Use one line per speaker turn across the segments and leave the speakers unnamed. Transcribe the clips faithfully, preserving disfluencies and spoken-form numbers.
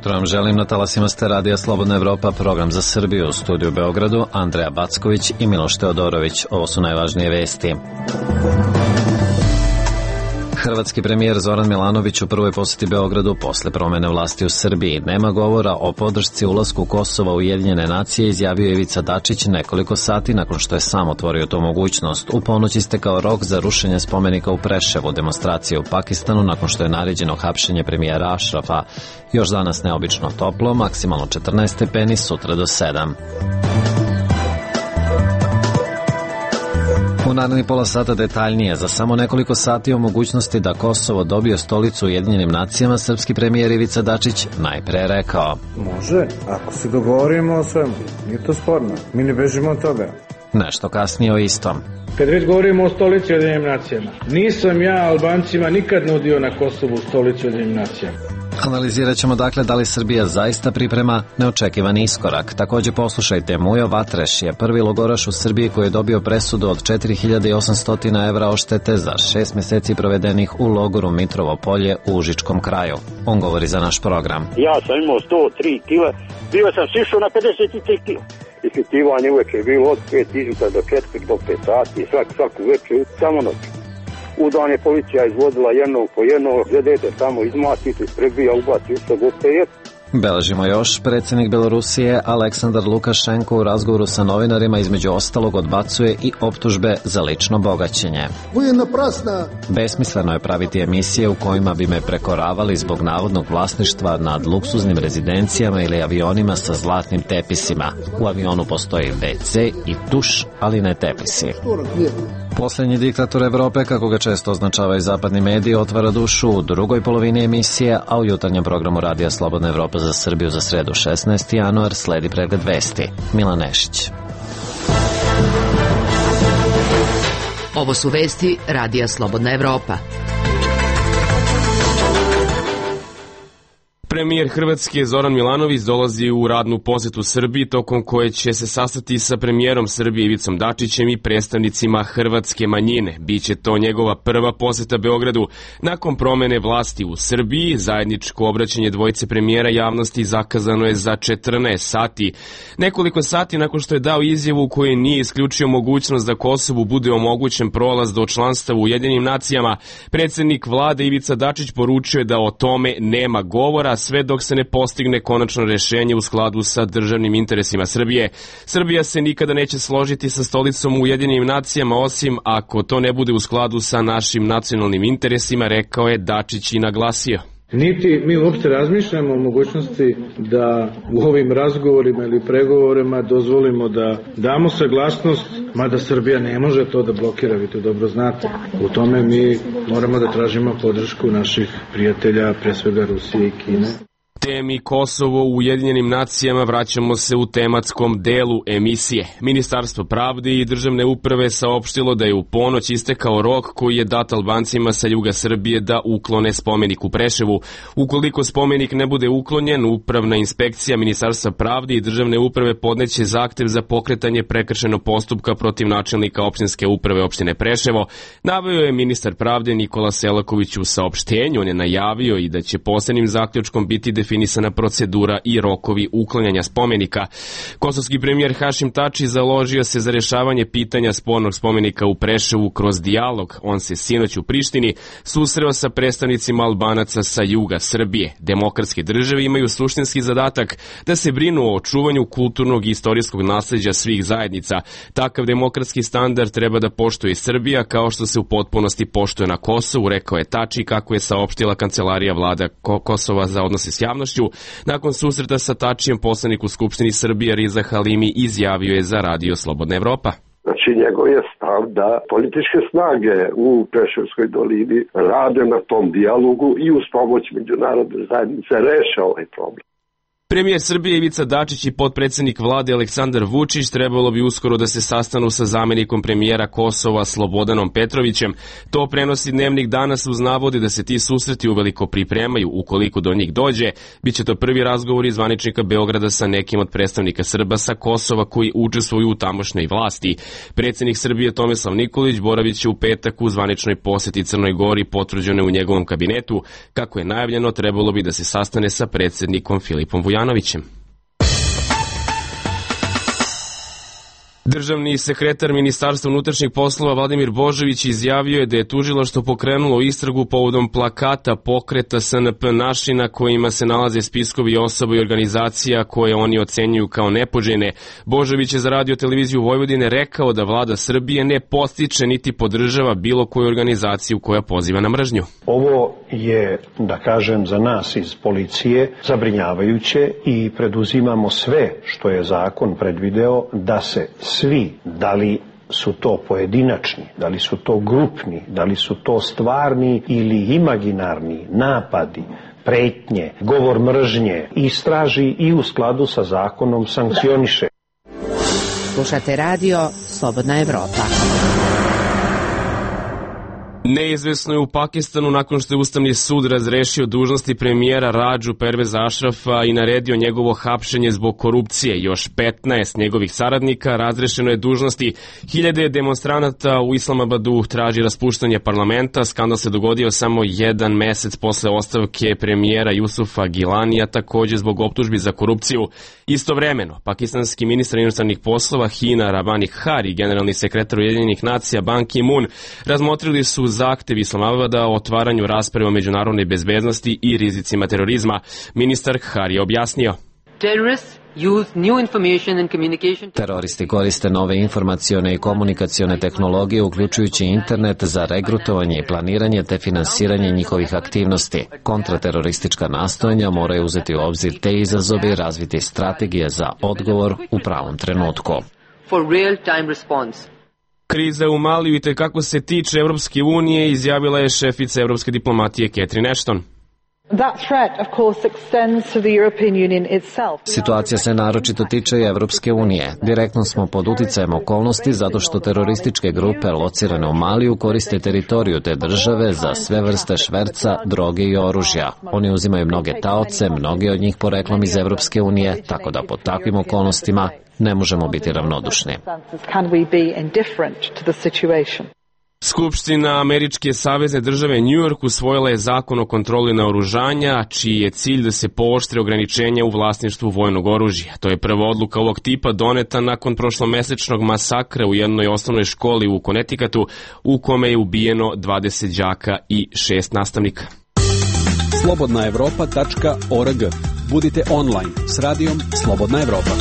jutro vam želim, na talasima ste Radija Slobodna Evropa, program za Srbiju, u studiju u Beogradu, Andreja Backović i Miloš Teodorović. Ovo su najvažnije vesti. Hrvatski premijer Zoran Milanović u prvoj poseti Beogradu posle promene vlasti u Srbiji. Nema govora o podršci ulasku Kosova u Ujedinjene nacije, izjavio je Ivica Dačić nekoliko sati nakon što je sam otvorio tu mogućnost. U ponoć istekao rok za rušenje spomenika u Preševu, demonstracije u Pakistanu nakon što je naređeno hapšenje premijera Ašrafa. Još danas neobično toplo, maksimalno četrnaest stepeni, sutra do sedam. U narednih pola sata detaljnije. Za samo nekoliko sati o mogućnosti da Kosovo dobije stolicu u Ujedinjenim nacijama, srpski premijer Ivica Dačić najpre rekao:
Može, ako se dogovorimo o svemu, nije to sporno, mi ne bežimo od toga.
Nešto kasnije o istom.
Kad već govorimo o stolici u Ujedinjenim nacijama, nisam ja Albancima nikad nudio na Kosovu stolicu u Ujedinjenim nacijama.
Analizirat ćemo dakle da li Srbija zaista priprema neočekivani iskorak. Također poslušajte, Mujo Vatreš je prvi logoraš u Srbiji koji je dobio presudu od četiri hiljade osamsto evra odštete za šest meseci provedenih u logoru Mitrovo polje u Užičkom kraju. On govori za naš program.
Ja sam imao sto tri kila, bio sam sišao na pedeset tri kila. Ispitivanje uvek je bilo od pet izuta do četiri do pet sati, svak, svaku večer, samo noć. U dan je policija izvodila jednog po jednog, gledajte tamo izmatite, prebija, ubaci u što goste je.
Beležimo još, predsjednik Belorusije Aleksandar Lukašenko u razgovoru sa novinarima između ostalog odbacuje i optužbe za lično bogaćenje. Besmisleno je praviti emisije u kojima bi me prekoravali zbog navodnog vlasništva nad luksuznim rezidencijama ili avionima sa zlatnim tepisima. U avionu postoji ve ce i tuš, ali ne tepisi. Posljednji diktator Evrope, kako ga često označavaju zapadni mediji, otvara dušu u drugoj polovini emisije, a u jutarnjem programu Radija Slobodna Evropa za Srbiju za sredu šesnaesti januar sledi pregled vesti. Milan Nešić.
Ovo su vesti Radija Slobodna Evropa.
Premijer Hrvatske Zoran Milanović dolazi u radnu posetu Srbiji, tokom koje će se sastati sa premijerom Srbije Ivicom Dačićem i predstavnicima hrvatske manjine. Biće to njegova prva poseta Beogradu nakon promene vlasti u Srbiji. Zajedničko obraćanje dvojice premijera javnosti zakazano je za četrnaest sati. Nekoliko sati nakon što je dao izjavu u kojoj nije isključio mogućnost da Kosovu bude omogućen prolaz do članstva u Ujedinjenim nacijama, predsjednik vlade Ivica Dačić poručio je da o tome nema govora, sve dok se ne postigne konačno rješenje u skladu sa državnim interesima Srbije. Srbija se nikada neće složiti sa stolicom u Ujedinjenim nacijama, osim ako to ne bude u skladu sa našim nacionalnim interesima, rekao je Dačić i naglasio.
Niti mi uopšte razmišljamo o mogućnosti da u ovim razgovorima ili pregovorima dozvolimo da damo saglasnost, mada Srbija ne može to da blokira, vi to dobro znate. U tome mi moramo da tražimo podršku naših prijatelja, pre svega Rusije i Kine.
Temi Kosovo u Ujedinjenim nacijama vraćamo se u tematskom delu emisije. Ministarstvo pravde i državne uprave saopštilo da je u ponoć istekao rok koji je dat Albancima sa juga Srbije da uklone spomenik u Preševu. Ukoliko spomenik ne bude uklonjen, upravna inspekcija Ministarstva pravde i državne uprave podneće zahtev za pokretanje prekršajnog postupka protiv načelnika opštinske uprave opštine Preševo. Naveo je ministar pravde Nikola Selaković u saopštenju. On je najavio i da će posebnim zaključkom biti definisana procedura i rokovi uklanjanja spomenika. Kosovski premijer Hašim Tači založio se za rješavanje pitanja spornog spomenika u Preševu kroz dijalog. On se sinoć u Prištini susreo sa predstavnicima Albanaca sa juga Srbije. Demokratske države imaju suštinski zadatak da se brinu o očuvanju kulturnog i istorijskog nasleđa svih zajednica. Takav demokratski standard treba da poštuje Srbija, kao što se u potpunosti poštuje na Kosovu, rekao je Tači, kako je saopštila kancelarija vlada Kosova za odnose s javnošću. Nakon susreta sa Tačijem, poslanik u Skupštini Srbije Riza Halimi izjavio je za Radio Slobodna Evropa.
Znači, njegov je stav da političke snage u Preševskoj dolini rade na tom dijalogu i uz pomoć međunarodne zajednice reše ovaj problem.
Premijer Srbije Ivica Dačić i potpredsednik vlade Aleksandar Vučić trebalo bi uskoro da se sastanu sa zamenikom premijera Kosova Slobodanom Petrovićem. To prenosi Dnevnik danas uz navode da se ti susreti uveliko pripremaju. Ukoliko do njih dođe, biće to prvi razgovor iz zvaničnika Beograda sa nekim od predstavnika Srba sa Kosova koji učestvuju u tamošnjoj vlasti. Predsednik Srbije Tomislav Nikolić boravit će u petak u zvaničnoj poseti Crnoj Gori, potvrđene u njegovom kabinetu. Kako je najavljeno, trebalo bi da se sastane sa predsednikom Filipom Vujanovićem. Janovićem. Državni sekretar Ministarstva unutrašnjih poslova Vladimir Božović izjavio je da je tužilaštvo pokrenulo istragu povodom plakata pokreta S N P naši na kojima se nalaze spiskovi osoba i organizacija koje oni ocenjuju kao nepoželjne. Božović je za Radio televiziju Vojvodine rekao da vlada Srbije ne podstiče niti podržava bilo koju organizaciju koja poziva na mržnju.
Ovo je, da kažem, za nas iz policije zabrinjavajuće i preduzimamo sve što je zakon predvideo da se svi, da li su to pojedinačni, da li su to grupni, da li su to stvarni ili imaginarni napadi, pretnje, govor mržnje, istraži i u skladu sa zakonom sankcioniše.
Slušate radio Slobodna Evropa.
Neizvesno je u Pakistanu nakon što je Ustavni sud razrešio dužnosti premijera Radžu Perveza Ašrafa i naredio njegovo hapšenje zbog korupcije. Još petnaest njegovih saradnika razrešeno je dužnosti. Hiljade demonstranata u Islamabadu traži raspuštanje parlamenta. Skandal se dogodio samo jedan mesec posle ostavke premijera Jusufa Gilanija, takođe zbog optužbi za korupciju. Istovremeno, pakistanski ministar inostranih poslova Hina Rabani Khar i generalni sekretar Ujedinjenih nacija Ban Ki-moon razmotrili su zahtev Islamabada o otvaranju rasprave o međunarodnoj bezbednosti i rizicima terorizma. Ministar Khar je objasnio.
Teroristi koriste nove informacione i komunikacione tehnologije, uključujući internet, za regrutovanje i planiranje te finansiranje njihovih aktivnosti. Kontrateroristička nastojanja moraju uzeti u obzir te izazove i razviti strategije za odgovor u pravom trenutku.
Kriza u Maliju i tekako se tiče Evropske unije, izjavila je šefica evropske diplomatije Catherine Ashton.
Situacija se naročito tiče i Evropske unije. Direktno smo pod uticajem okolnosti zato što terorističke grupe locirane u Maliju koriste teritoriju te države za sve vrste šverca, droge i oružja. Oni uzimaju mnoge taoce, mnogi od njih poreklom iz Evropske unije, tako da pod takvim okolnostima ne možemo biti ravnodušni.
Skupština Američke savezne države New York usvojila je zakon o kontroli naoružanja, čiji je cilj da se pooštre ograničenja u vlasništvu vojnog oružja. To je prva odluka ovog tipa doneta nakon prošlomesečnog masakra u jednoj osnovnoj školi u Connecticutu, u kome je ubijeno dvadeset đaka i šest nastavnika.
slobodna evropa tačka org. Budite online s radijom Slobodna Evropa.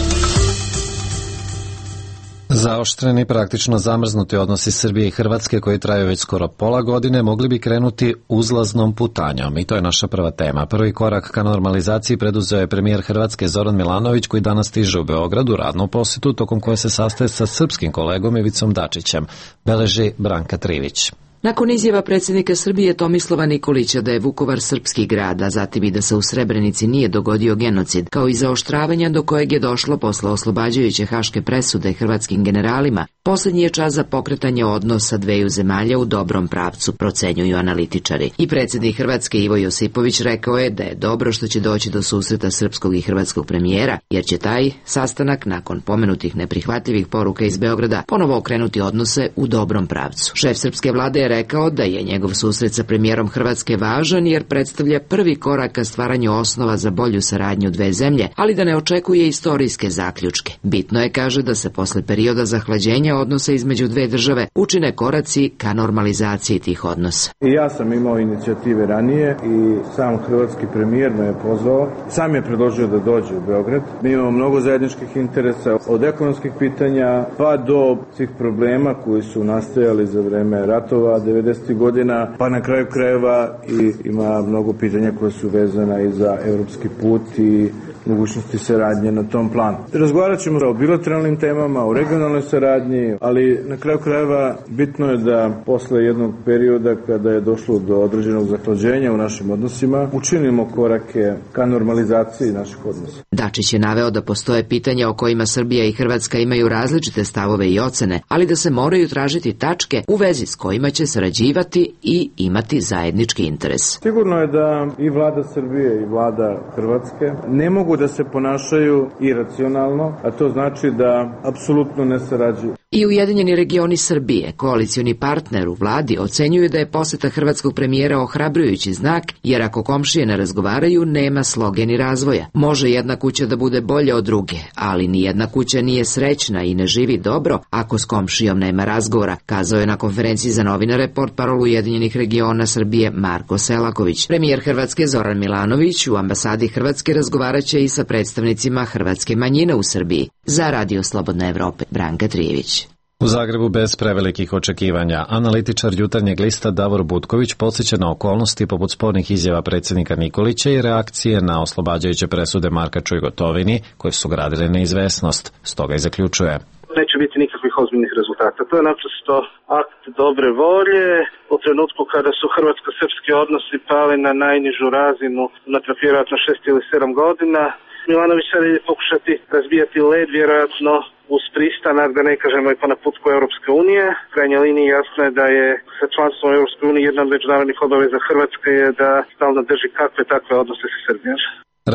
Zaoštreni, praktično zamrznuti odnosi Srbije i Hrvatske koji traju već skoro pola godine mogli bi krenuti uzlaznom putanjom i to je naša prva tema. Prvi korak ka normalizaciji preduzeo je premijer Hrvatske Zoran Milanović koji danas stiže u Beogradu radnu posetu tokom koje se sastaje sa srpskim kolegom Ivicom Dačićem, beleži Branka Trivić.
Nakon izjava predsjednika Srbije Tomislava Nikolića da je Vukovar srpski grad, a zatim i da se u Srebrenici nije dogodio genocid, kao i zaoštravanja do kojeg je došlo posle oslobađajuće haške presude hrvatskim generalima, poslednji je čas za pokretanje odnosa dveju zemalja u dobrom pravcu, procenjuju analitičari. I predsjednik Hrvatske Ivo Josipović rekao je da je dobro što će doći do susreta srpskog i hrvatskog premijera, jer će taj sastanak, nakon pomenutih neprihvatljivih poruka iz Beograda, ponovo okrenuti odnose u dobrom pravcu. Šef srpske vlade je rekao da je njegov susret sa premijerom Hrvatske važan jer predstavlja prvi korak ka stvaranju osnova za bolju saradnju dve zemlje, ali da ne očekuje istorijske zaključke. Bitno je, kaže, da se posle perioda zahlađenja odnosa između dve države učine koraci ka normalizaciji tih odnosa.
I ja sam imao inicijative ranije i sam hrvatski premijer me je pozvao. Sam je predložio da dođe u Beograd. Mi imamo mnogo zajedničkih interesa, od ekonomskih pitanja pa do svih problema koji su nastajali za vreme ratova devedesetih godina, pa na kraju krajeva i ima mnogo pitanja koje su vezana i za evropski put i mogućnosti saradnje na tom planu. Razgovarat ćemo o bilateralnim temama, o regionalnoj saradnji, ali na kraju krajeva bitno je da posle jednog perioda kada je došlo do određenog zahlađenja u našim odnosima, učinimo korake ka normalizaciji naših odnosa.
Dačić je naveo da postoje pitanja o kojima Srbija i Hrvatska imaju različite stavove i ocene, ali da se moraju tražiti tačke u vezi s kojima će sarađivati i imati zajednički interes.
Sigurno je da i vlada Srbije i vlada Hrvatske ne mogu da se ponašaju iracionalno, a to znači da apsolutno ne sarađuju.
I Ujedinjeni regioni Srbije, koalicioni partner u vladi, ocenjuju da je poseta hrvatskog premijera ohrabrujući znak, jer ako komšije ne razgovaraju, nema sloge ni razvoja. Može jedna kuća da bude bolja od druge, ali ni jedna kuća nije srećna i ne živi dobro ako s komšijom nema razgovora, kazao je na konferenciji za novinare portparol Ujedinjenih regiona Srbije Marko Selaković. Premijer Hrvatske Zoran Milanović u ambasadi Hrvatske razgovaraće i sa predstavnicima hrvatske manjine u Srbiji. Za Radio Slobodne Evrope, Branka Trijević.
U Zagrebu bez prevelikih očekivanja. Analitičar Jutarnjeg lista Davor Butković podsjeća na okolnosti poput spornih izjava predsjednika Nikolića i reakcije na oslobađajuće presude Markaču i Gotovini, koje su gradile neizvesnost. Stoga i zaključuje:
neće biti nikakvih ozbiljnih rezultata. To je naprosto akt dobre volje. U trenutku kada su hrvatsko-srpski odnosi pali na najnižu razinu unatrag vjerojatno šest ili sedam godina, Milanović sad je pokušati razbijati led, vjerojatno uz pristanak, da ne kažemo i po naputku Europske unije. U krajnjoj liniji jasno je da je sa članstvom Europske unije jedna od međunarodnih obaveza Hrvatske je da stalno drži kakve takve odnose sa Srbijom.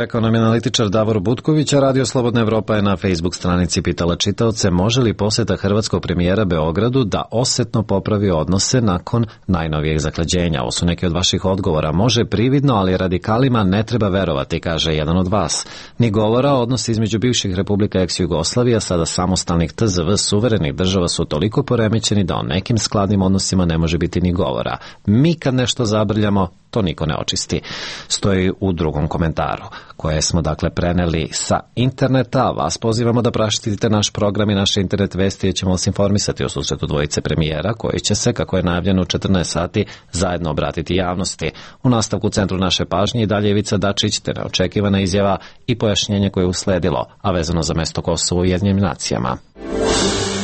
Rekao nam je analitičar Davor Butković, a Radio Slobodna Evropa je na Facebook stranici pitala čitaoce može li posjeta hrvatskog premijera Beogradu da osetno popravi odnose nakon najnovijeg zaklađenja. Ovo su neki od vaših odgovora. Može prividno, ali radikalima ne treba verovati, kaže jedan od vas. Ni govora, odnosi između bivših republika ex-Jugoslavija, sada samostalnih T Z V suverenih država su toliko poremećeni da o nekim skladnim odnosima ne može biti ni govora. Mi kad nešto zabrljamo, to niko ne očisti. Stoji u drugom komentaru, koje smo dakle preneli sa interneta. Vas pozivamo da praštite naš program i naše internet vesti, jer ćemo vas informisati o susretu dvojice premijera, koji će se, kako je najavljeno u četrnaest sati, zajedno obratiti javnosti. U nastavku centru naše pažnje i dalje Ivica Dačić, te neočekivana izjava i pojašnjenje koje je usledilo, a vezano za mesto Kosova u Ujedinjenim nacijama.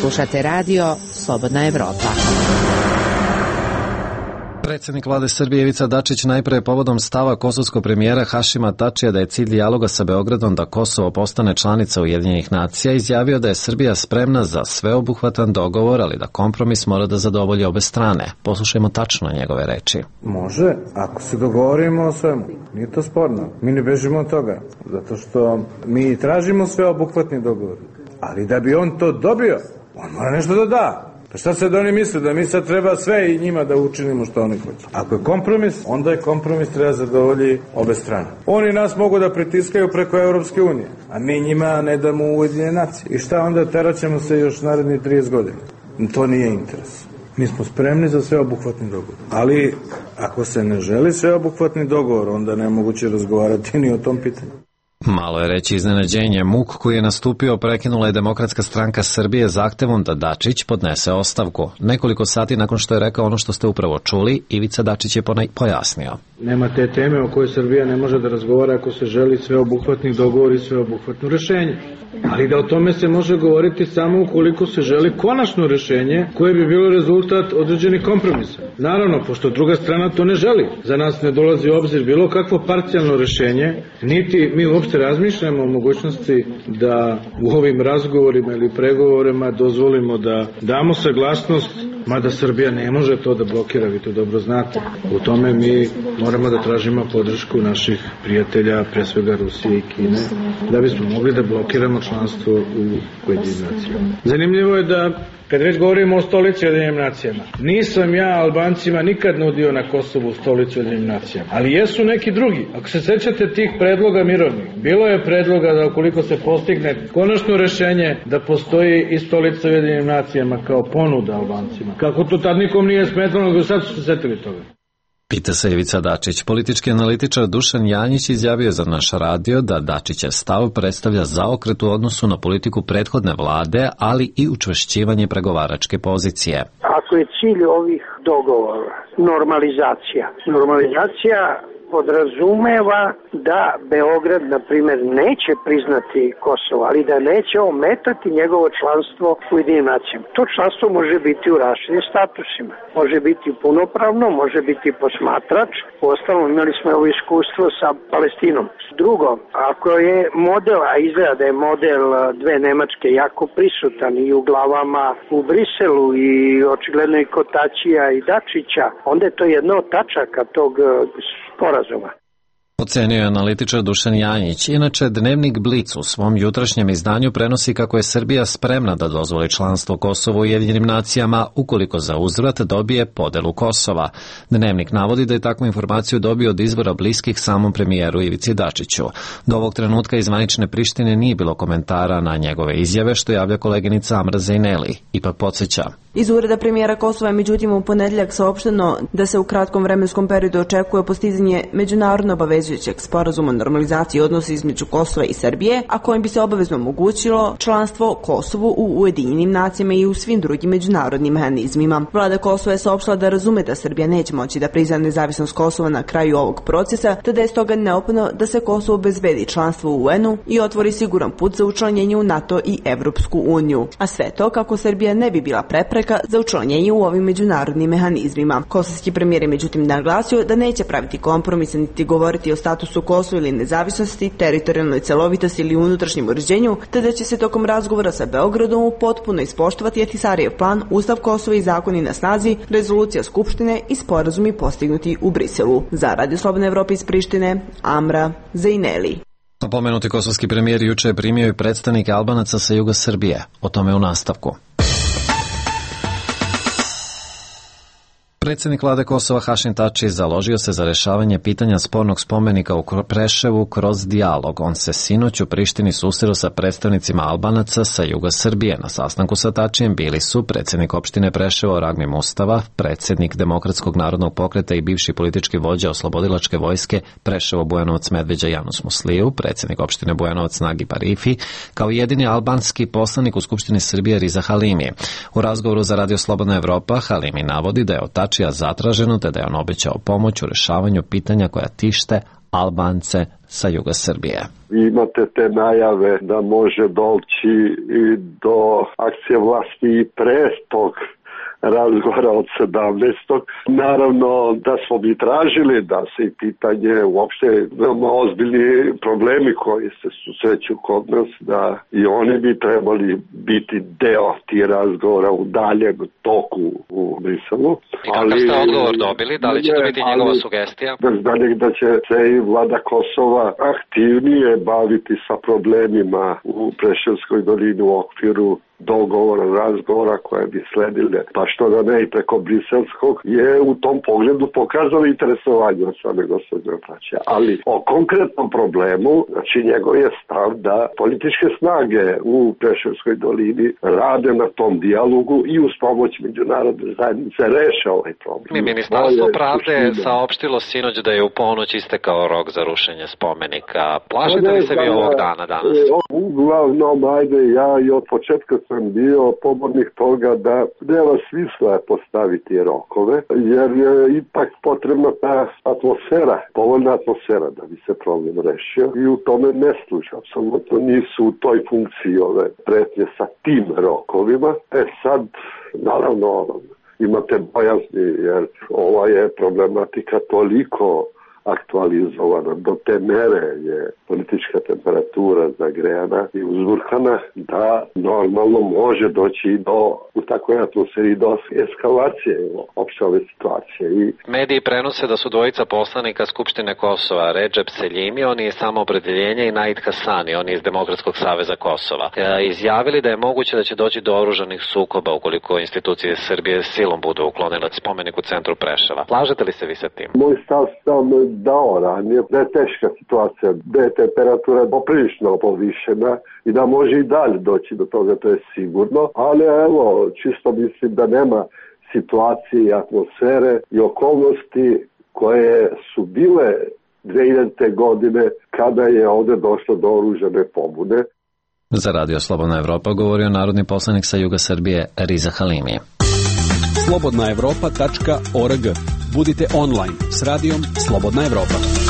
Slušate Radio Slobodna Evropa.
Predsjednik vlade Srbije Ivica Dačić najpre povodom stava kosovskog premijera Hašima Tačija da je cilj dijaloga sa Beogradom da Kosovo postane članica Ujedinjenih nacija izjavio da je Srbija spremna za sveobuhvatan dogovor, ali da kompromis mora da zadovolji obe strane. Poslušajmo tačno njegove reči.
Može, ako se dogovorimo o svemu. Nije to sporno. Mi ne bežimo od toga. Zato što mi tražimo sveobuhvatni dogovor. Ali da bi on to dobio, on mora nešto da da. Pa šta sad oni misle, da mi sad treba sve i njima da učinimo što oni hoće? Ako je kompromis, onda je kompromis treba zadovolji obe strane. Oni nas mogu da pritiskaju preko Europske unije, a mi njima ne damo Ujedinjene nacije. I šta onda, teraćemo se još narednih trideset godina? To nije interes. Mi smo spremni za sveobuhvatni dogovor. Ali ako se ne želi sveobuhvatni dogovor, onda ne moguće razgovarati ni o tom pitanju.
Malo je reći iznenađenje. Muk koji je nastupio prekinula je Demokratska stranka Srbije zahtevom da Dačić podnese ostavku. Nekoliko sati nakon što je rekao ono što ste upravo čuli, Ivica Dačić je pojasnio.
Nema te teme o kojoj Srbija ne može da razgovara ako se želi sveobuhvatni dogovor i sveobuhvatno rešenje. Ali da o tome se može govoriti samo ukoliko se želi konačno rešenje koje bi bilo rezultat određenih kompromisa. Naravno, pošto druga strana to ne želi. Za nas ne dolazi u obzir bilo kakvo parcijalno rešenje, niti mi uopšte razmišljamo o mogućnosti da u ovim razgovorima ili pregovorima dozvolimo da damo saglasnost, mada Srbija ne može to da blokira, vi to dobro znate. U tome mi moramo da tražimo podršku naših prijatelja, pre svega Rusije i Kine, da bismo mogli da blokiramo članstvo u Ujedinjenim nacijama. Zanimljivo je da, kad već govorimo o stolici Ujedinjenim nacijama, nisam ja Albancima nikad nudio na Kosovu stolicu Ujedinjenim nacijama, ali jesu neki drugi. Ako se sećate tih predloga mirovnih, bilo je predloga da ukoliko se postigne konačno rešenje da postoji i stolica Ujedinjenim nacijama kao ponuda Albancima. Kako to tad nikom nije smetalo, nego sad su se setili toga.
Pita se Ivica Dačić. Politički analitičar Dušan Janjić izjavio za naš radio da Dačićev stav predstavlja zaokret u odnosu na politiku prethodne vlade, ali i učvršćivanje pregovaračke pozicije.
Ako je cilj ovih dogovora normalizacija, normalizacija podrazumeva da Beograd, na primjer, neće priznati Kosovo, ali da neće ometati njegovo članstvo u Ujedinjenim nacijama. To članstvo može biti u različitim statusima. Može biti punopravno, može biti posmatrač. Uostalom, imali smo ovo iskustvo sa Palestinom. Drugo, ako je model, a izgleda da je model dve Nemačke jako prisutan i u glavama u Briselu i očigledno i kod Tačija i Dačića, onda je to jedna od tačaka tog sporazuma.
Ocenio je analitičar Dušan Janjić. Inače, dnevnik Blic u svom jutrašnjem izdanju prenosi kako je Srbija spremna da dozvoli članstvo Kosova u Ujedinjenim nacijama ukoliko za uzvrat dobije podelu Kosova. Dnevnik navodi da je takvu informaciju dobio od izvora bliskih samom premijeru Ivici Dačiću. Do ovog trenutka iz zvanične Prištine nije bilo komentara na njegove izjave, što javlja koleginica Amra Zejneli. Ipak podsjeća.
Iz ureda premijera Kosova je međutim u ponedjeljak saopšteno da se u kratkom vremenskom periodu očekuje postizanje međunarodno obavezujućeg sporazuma o normalizaciji odnosa između Kosova i Srbije, a kojim bi se obavezno omogućilo članstvo Kosovu u Ujedinjenim nacijama i u svim drugim međunarodnim mehanizmima. Vlada Kosova je saopštila da razume da Srbija neće moći da prizna nezavisnost Kosova na kraju ovog procesa, te da je stoga neophodno da se Kosovo obezbedi članstvo u U N U i otvori siguran put za učlanjenje u NATO i Evropsku uniju. A sve to kako Srbija ne bi bila prepreka za učlanjenje u ovim međunarodnim mehanizmima. Kosovski premijer je međutim naglasio da neće praviti kompromise niti govoriti o statusu Kosova ili nezavisnosti, teritorijalnoj celovitosti ili unutrašnjem uređenju, te da će se tokom razgovora sa Beogradom potpuno ispoštovati Ahtisarijev plan, Ustav Kosova i zakoni na snazi, rezolucija Skupštine i sporazumi postignuti u Briselu. Za Radio Slobodne Evrope iz Prištine, Amra Zejneli.
Pomenuti kosovski premijer juče je primio i predstavnike Albanaca sa juga Srbije. O tome u nastavku. Predsjednik vlade Kosova Hašim Tači založio se za rešavanje pitanja spornog spomenika u Preševu kroz dijalog. On se sinoć u Prištini susreo sa predstavnicima Albanaca sa juga Srbije. Na sastanku sa Tačijem bili su predsjednik opštine Preševo Ragmi Mustava, predsjednik Demokratskog narodnog pokreta i bivši politički vođa oslobodilačke vojske Preševo Bujanovac Medveđa Janus Musliju, predsjednik opštine Bujanovac Nagi Parifi, kao jedini albanski poslanik u Skupštini Srbije Riza Halimi. U razgovoru za Radio Slobodna Evropa Halimi navodi da je od Tačija zatraženo te da je on obećao pomoć u rešavanju pitanja koja tište Albance sa juga Srbije.
Imate te najave da može doći i do akcije vlasti i pre tog razgovora od sedamnaestog Naravno da smo mi tražili da se i pitanje uopšte veoma ozbiljni problemi koji se susreću kod nas, da i oni bi trebali biti deo tih razgovora u daljem toku u Briselu.
I kakav ste odgovor dobili? Da li će to biti njegova sugestija?
Bez daljeg da će se i vlada Kosova aktivnije baviti sa problemima u Preševskoj dolini u okviru dogovora, razgovora koje bi sledile, pa što da ne i preko briselskog, je u tom pogledu pokazalo interesovanje od same gospođe Tačija. Ali o konkretnom problemu, znači njegov je stav da političke snage u Preševskoj dolini rade na tom dijalogu i uz pomoć međunarodne zajednice reše ovaj problem.
Mi Ministarstvo pravde je saopštilo sinoć da je u ponoć istekao rok za rušenje spomenika. Plašite li se vi ovog dana danas?
Uglavnom, ajde, ja i od početka sam bio pobornik toga da nema smisla postaviti rokove, jer je ipak potrebna ta atmosfera, povoljna atmosfera da bi se problem rešio i u tome ne sluša. Apsolutno nisu u toj funkciji ove pretnje sa tim rokovima. E sad, naravno, imate bojazni, jer ova je problematika toliko aktualizovana. Do te mere je politička temperatura zagrejana i uzburkana da normalno može doći do, u takvoj atmosferi do eskalacije opšte ove situacije. I
mediji prenose da su dvojica poslanika Skupštine Kosova, Redžep Seljimi, on je Samoopredeljenje, i Naid Hasani, on je iz Demokratskog saveza Kosova, e, izjavili da je moguće da će doći do oružanih sukoba ukoliko institucije Srbije silom budu uklonile spomenik u centru Preševa. Slažete li se vi sa tim?
Moj stav sam dao ranije, da je teška situacija, da je temperatura poprilično povišena i da može i dalje doći do toga, to je sigurno, ali evo, čisto mislim da nema situacije i atmosfere i okolnosti koje su bile dve hiljadite godine kada je ovde došlo do oružane pobune.
Za Radio Slobodna Evropa govorio narodni poslanik sa juga Srbije Riza Halimi.
slobodna evropa tačka org. Budite online s radijom Slobodna Evropa.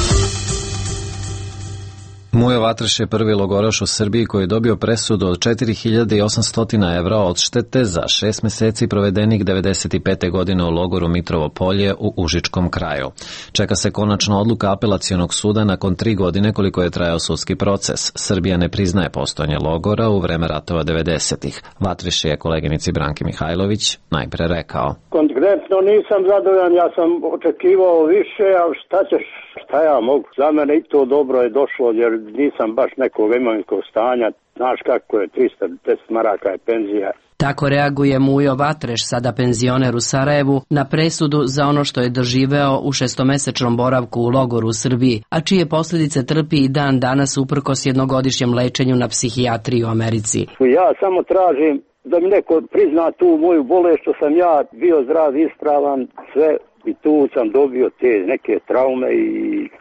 Mujo Vatreš je prvi logoraš u Srbiji koji je dobio presudu od četiri hiljade osamsto evra odštete za šest meseci provedenih devedeset pete godine u logoru Mitrovo Polje u Užičkom kraju. Čeka se konačna odluka apelacionog suda nakon tri godine koliko je trajao sudski proces. Srbija ne priznaje postojanje logora u vreme ratova devedesetih. Vatreš je koleginici Branki Mihajlović najpre rekao.
Konkretno nisam zadovoljan, ja sam očekivao više, ali šta ćeš, šta ja mogu? Za mene i to dobro je došlo, jer nisam baš nekog imovinskog stanja. Znaš kako je, trista deset maraka je penzija.
Tako reaguje Mujo Vatreš, sada penzioner u Sarajevu, na presudu za ono što je doživeo u šestomesečnom boravku u logoru u Srbiji, a čije posljedice trpi i dan danas uprkos jednogodišnjem lečenju na psihijatriji u Americi.
Ja samo tražim da mi neko prizna tu moju bolest, što sam ja bio zdrav, ispravan, sve, i tu sam dobio te neke traume i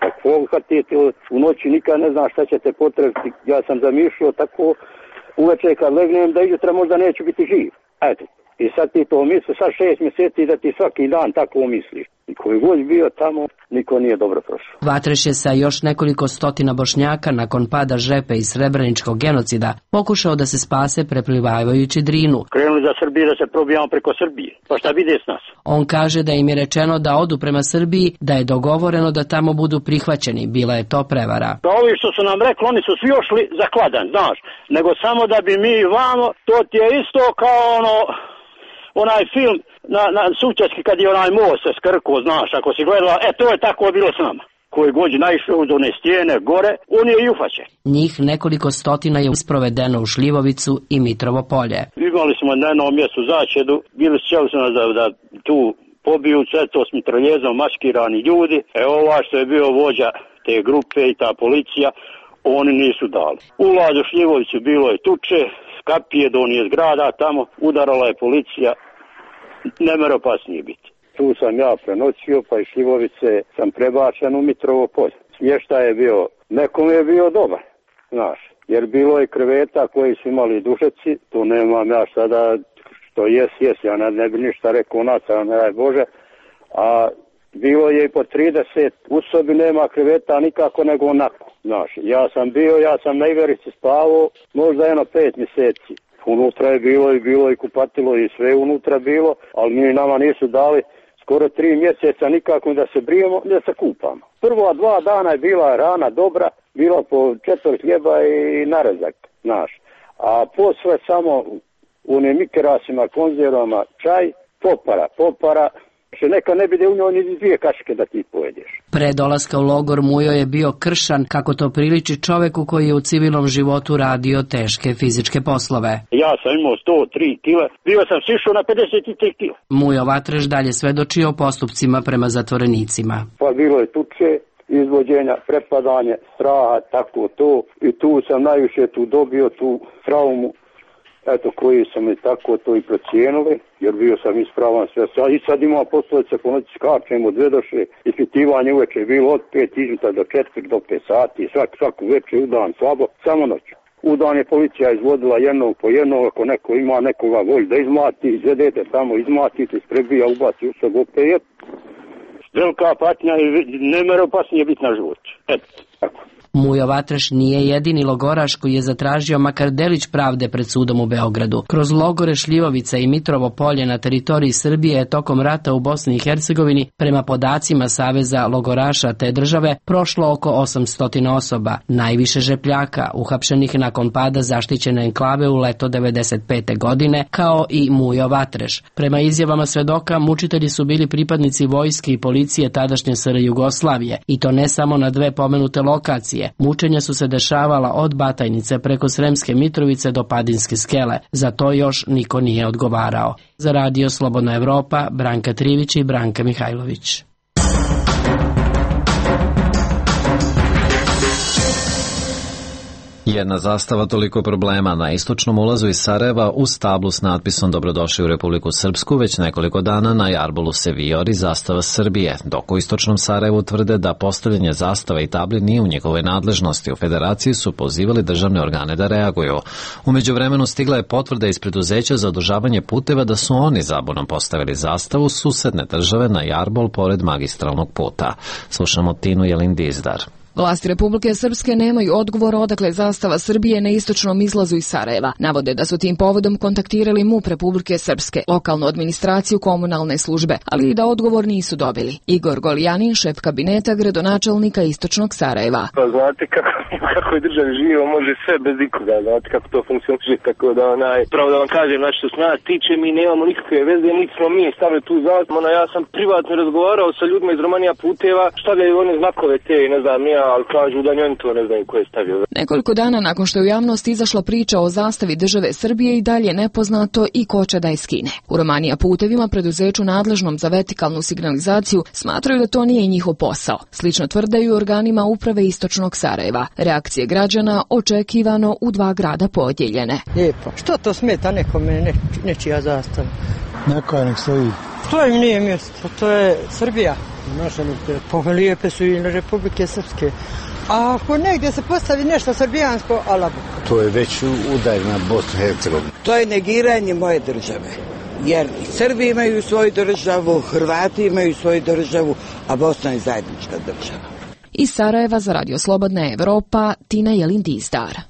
kako hatite, u noći nikad ne znam šta će te potrebiti. Ja sam zamišljao tako uveče kad legnem da ijutra možda neću biti živ. Eto, i sad ti to misli, sad šest mjeseci da ti svaki dan tako misliš. I koji god bio tamo, niko nije dobro prošao.
Vatreš je sa još nekoliko stotina Bošnjaka nakon pada Žepe i srebreničkog genocida pokušao da se spase preplivavajući Drinu.
Krenuli za Srbiju da se probijamo preko Srbije. Pa šta vide s nas?
On kaže da im je rečeno da odu prema Srbiji, da je dogovoreno da tamo budu prihvaćeni. Bila je to prevara.
Pa ovi što su nam rekli, oni su svi ošli za kladan, znaš. Nego samo da bi mi vamo, to ti je isto kao ono... onaj film na, na Sučački kad je onaj most se skrkuo, znaš, ako si gledala, e to je tako bilo s nama. Koji god je naišao uz one stijene gore, on je i ufaćen.
Njih nekoliko stotina je isprovedeno u Šljivovicu i Mitrovo Polje.
Imali smo na jednom mjestu začedu, bili su nas da, da tu pobiju sve to s mitraljezom maskirani ljudi. E ova što je bio vođa te grupe i ta policija, oni nisu dali. Ulaz u Šljivovicu bilo je tuče, kapije do onih zgrada, tamo udarala je policija, ne mere opasnije biti. Tu sam ja prenoćio, pa iz Šljivovice sam prebačen u Mitrovo Polje. Smještaj je bio, nekom je bio dobar, znaš, jer bilo je kreveta koji su imali dušeci, tu nemam ja sada, što jes, jes, ja ne, ne bi ništa rekao naca, ne daj Bože, a bilo je i po trideset, u sobi nema kreveta nikako nego onako. Znaš, ja sam bio, ja sam na iverici spavao, možda jedno pet mjeseci. Unutra je bilo i bilo i kupatilo i sve unutra bilo, ali mi nama nisu dali skoro tri mjeseca nikako da se brijemo, da se kupamo. Prva dva dana je bila rana dobra, bilo po četvrt hljeba i narezak, znaš. A posle samo u onim mikerasima, konzervama, čaj, popara, popara, što neka ne bide u njoj ni dvije kašike da ti pojedeš.
Pre dolaska u logor Mujo je bio kršan, kako to priliči čoveku koji je u civilnom životu radio teške fizičke poslove.
Ja sam imao sto tri kila, bio sam sišao na pedeset tri kila.
Mujo Vatreš dalje svedoči o postupcima prema zatvorenicima.
Pa bilo je tuče, izvođenja, prepadanje, straha, tako to. I tu sam najviše tu dobio tu traumu. Eto, koji sam i tako to i procijenili, jer bio sam ispravan sve. I sad imamo poslovice, po noći skačemo, dve doše, ispitivanje uveče je bilo od pet izuta do četiri do pet sati, svak, svaku večer u dan slabo, samo noć. U dan je policija izvodila jednog po jednog, ako neko ima nekoga volj da izmlati, izvedete tamo, izmlatite, isprebija, ubaci u sobu opet. Velika patnja i ne mere opasnije biti na život. Eto, tako.
Mujo Vatreš nije jedini logoraš koji je zatražio makar delić pravde pred sudom u Beogradu. Kroz logore Šljivovica i Mitrovo Polje na teritoriji Srbije je tokom rata u Bosni i Hercegovini, prema podacima Saveza logoraša te države, prošlo oko osamsto osoba, najviše Žepljaka, uhapšenih nakon pada zaštićene enklave u leto devedeset pete godine, kao i Mujo Vatreš. Prema izjavama svedoka, mučitelji su bili pripadnici vojske i policije tadašnje S R Jugoslavije, i to ne samo na dve pomenute lokacije. Mučenja su se dešavala od Batajnice preko Sremske Mitrovice do Padinske skele. Za to još niko nije odgovarao. Za Radio Slobodna Evropa, Branka Trivić i Branka Mihajlović.
Jedna zastava, toliko problema. Na istočnom ulazu iz Sarajeva uz tablu s natpisom Dobrodošli u Republiku Srpsku već nekoliko dana na jarbolu se vijori zastava Srbije, dok u istočnom Sarajevu tvrde da postavljanje zastava i tabli nije u njihovoj nadležnosti. U federaciji su pozivali državne organe da reaguju. U međuvremenu stigla je potvrda iz preduzeća za održavanje puteva da su oni zabunom postavili zastavu susedne države na jarbol pored magistralnog puta. Slušamo Tinu Jelindizdar.
Vlasti Republike Srpske nemaju odgovor odakle zastava Srbije na istočnom izlazu iz Sarajeva. Navode da su tim povodom kontaktirali M U P Republike Srpske, lokalnu administraciju, komunalne službe, ali i da odgovor nisu dobili. Igor Golijanin, šef kabineta gradonačelnika istočnog Sarajeva.
Pa znate kako, kako je državi živo, može sve bez ikoga, znate kako to funkcionuje, tako da onaj, pravo da vam kažem, znači što se nas tiče, mi nemamo nikakve veze, niti smo mi stavili tu zastavu, ono, ja sam privatno razgovarao sa ljudima iz Romanija puteva, stavljaju one znakove te, ne znam ja, ali kažu da njoni to ne znaju ko je stavio.
Nekoliko dana nakon što je u javnost izašla priča o zastavi države Srbije i dalje nepoznato i ko će da je skine. U Romanija putevima, preduzeću nadležnom za vertikalnu signalizaciju, smatraju da to nije njihov posao. Slično tvrde i u organima uprave istočnog Sarajeva. Reakcije građana očekivano u dva grada podijeljene.
Lijepo. Što to smeta nekome ne, nečija zastava?
Neka nek stoji.
To im nije mjesto, to je Srbija. Naša pa lijepe su i na Republike Srpske. A ako negdje se postavi nešto srbijansko, ala Bog.
To je već udar na Bosnu i Hercegovinu.
To je negiranje moje države. Jer Srbi imaju svoju državu, Hrvati imaju svoju državu, a Bosna je zajednička država.
Iz Sarajeva za Radio Slobodna Evropa, Tina Jelin-Dizdar.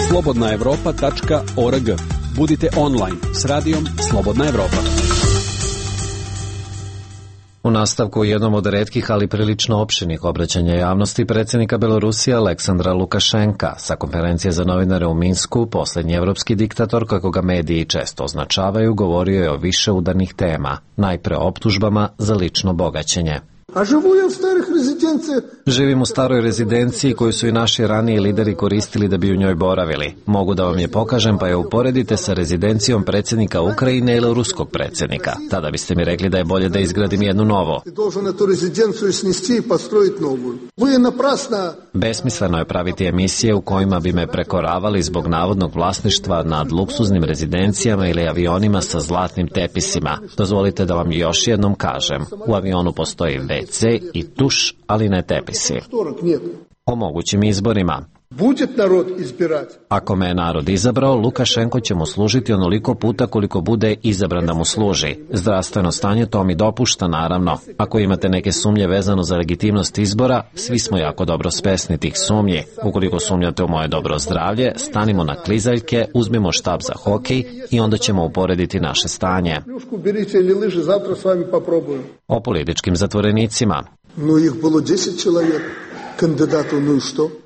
slobodna evropa tačka org. Budite online s radijom Slobodna Evropa.
U nastavku jednom od retkih, ali prilično opširnih obraćanja javnosti predsjednika Belorusije Aleksandra Lukašenka sa konferencije za novinare u Minsku, posljednji evropski diktator, kako ga mediji često označavaju, govorio je o više udarnih tema, najpre o optužbama za lično bogaćenje.
A živu ja u starih rezidencijah.
Živim u staroj rezidenciji koju su i naši raniji lideri koristili da bi u njoj boravili. Mogu da vam je pokažem, pa je uporedite sa rezidencijom predsjednika Ukrajine ili ruskog predsjednika. Tada biste mi rekli da je bolje da izgradim jednu novo. Besmisleno je praviti emisije u kojima bi me prekoravali zbog navodnog vlasništva nad luksuznim rezidencijama ili avionima sa zlatnim tepisima. Dozvolite da vam još jednom kažem. U avionu postoji ve ce i tuš, ali ne tepisi. O mogućim izborima. Ako me je narod izabrao, Lukašenko će mu služiti onoliko puta koliko bude izabran da mu služi. Zdravstveno stanje to mi dopušta, naravno. Ako imate neke sumnje vezano za legitimnost izbora, svi smo jako dobro svesni tih sumnji. Ukoliko sumnjate u moje dobro zdravlje, stanimo na klizaljke, uzmimo štab za hokej i onda ćemo uporediti naše stanje. O političkim zatvorenicima.
No ih bilo deset čovjeka.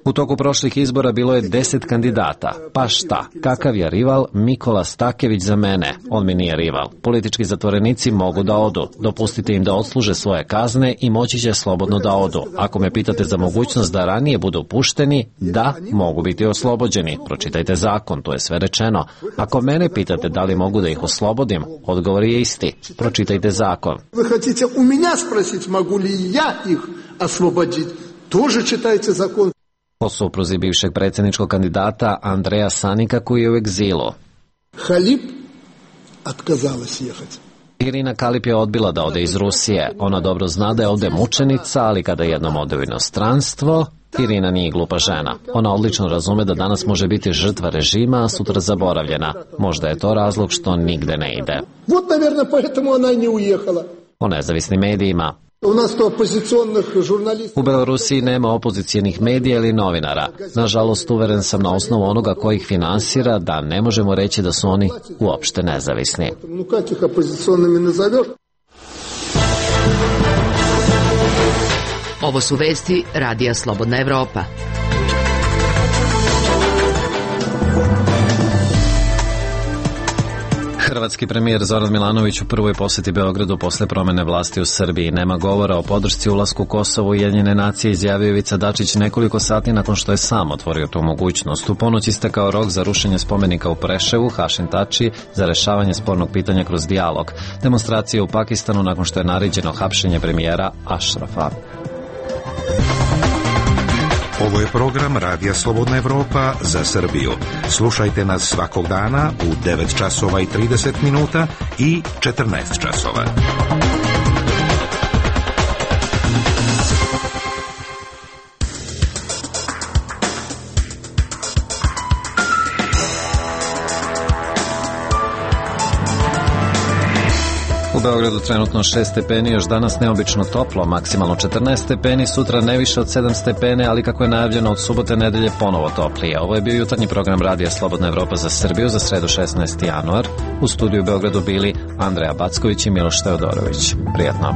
U toku prošlih izbora bilo je deset kandidata. Pa šta? Kakav je rival? Mikola Stakević za mene. On mi nije rival. Politički zatvorenici mogu da odu. Dopustite im da odsluže svoje kazne i moći će slobodno da odu. Ako me pitate za mogućnost da ranije budu pušteni, da, mogu biti oslobođeni. Pročitajte zakon, to je sve rečeno. Ako mene pitate da li mogu da ih oslobodim, odgovor je isti. Pročitajte zakon.
Vi hoćete u mene sprositi, mogu li ja ih osloboditi? Тоже čitajte zakon.
O supruzi bivšeg predsjedničkog kandidata Andreja Sanika koji je u egzilu.
Halip otkazala se jehati.
Irina Kalip je odbila da ode iz Rusije. Ona dobro zna da je ovde mučenica, ali kada jednom ode u inostranstvo, Irina nije glupa žena. Ona odlično razume da danas može biti žrtva režima, a sutra zaboravljena. Možda je to razlog što nigde ne ide.
Вот, наверное, поэтому она не уехала.
O nezavisnim medijima.
U nas to opozicionih žurnalista.
U Belorusiji nema opozicijenih medija ili novinara. Nažalost, uveren sam na osnovu onoga ko ih finansira da ne možemo reći da su oni uopšte nezavisni.
No kak ih opozicionimi nazoveš?
Ovo su vesti Radija Slobodna Evropa.
Hrvatski premijer Zoran Milanović u prvoj posjeti Beogradu posle promene vlasti u Srbiji. Nema govora o podršci ulasku Kosova u Ujedinjene nacije, izjavio Ivica Dačić nekoliko sati nakon što je sam otvorio tu mogućnost. U ponoć istekao rok za rušenje spomenika u Preševu, Hašim Tači, za rešavanje spornog pitanja kroz dijalog. Demonstracije u Pakistanu nakon što je naređeno hapšenje premijera Ašrafa.
Ovo je program Radija Slobodna Evropa za Srbiju. Slušajte nas svakog dana u devet časova i trideset minuta i četrnaest časova.
U Beogradu trenutno šest stepeni, još danas neobično toplo, maksimalno četrnaest stepeni, sutra ne više od sedam stepeni, ali kako je najavljeno od subote nedelje ponovo toplije. Ovo je bio jutarnji program Radija Slobodna Evropa za Srbiju za sredu šesnaesti januar. U studiju u Beogradu bili Andreja Backović i Miloš Teodorović. Prijatno.